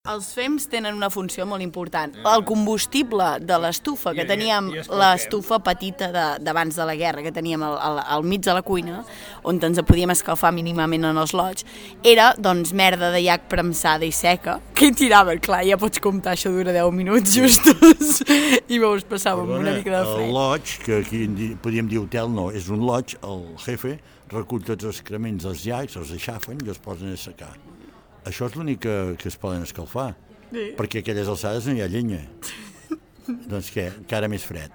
Els fems tenen una funció molt important. El combustible de l'estufa, que teníem l'estufa petita d'abans de la guerra, que teníem al mig de la cuina, on ens podíem escalfar mínimament en els lots, era, doncs, merda de llac premsada i seca, que hi tiraven, clar, ja pots comptar, això dura 10 minuts justos, i llavors passàvem una mica de fred. El loig, que aquí podríem dir hotel, no, és un loig, el jefe recull tots els excrements dels llacs, els aixafen i els posen a secar. Això és l'únic que es poden escalfar, perquè a aquelles alçades no hi ha llenya. Doncs què, encara més fred.